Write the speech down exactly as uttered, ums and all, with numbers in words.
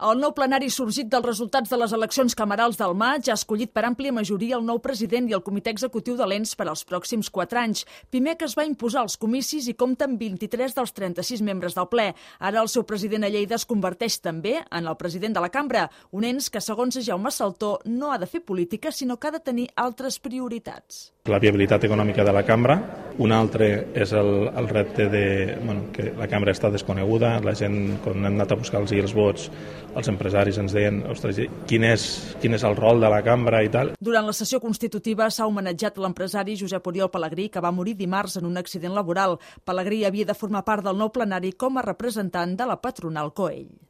El nou plenari sorgit dels resultats de les eleccions camerals del maig ha escollit per àmplia majoria el nou president i el comitè executiu de l'E N S per als pròxims quatre anys. Pimec es va imposar als comicis i compta amb vint-i-tres dels trenta-sis membres del ple. Ara el seu president a Lleida es converteix també en el president de la cambra, un ens que, segons Jaume Saltó, no ha de fer política, sinó que ha de tenir altres prioritats. La viabilitat econòmica de la cambra. Un altre és el, el repte de bueno, que la cambra està desconeguda. La gent, quan hem anat a buscar els vots, els empresaris ens deien ostres, quin és, quin és el rol de la cambra i tal. Durant la sessió constitutiva s'ha homenatjat l'empresari Josep Oriol Pelegrí, que va morir dimarts en un accident laboral. Pelegrí havia de formar part del nou plenari com a representant de la patronal Coell.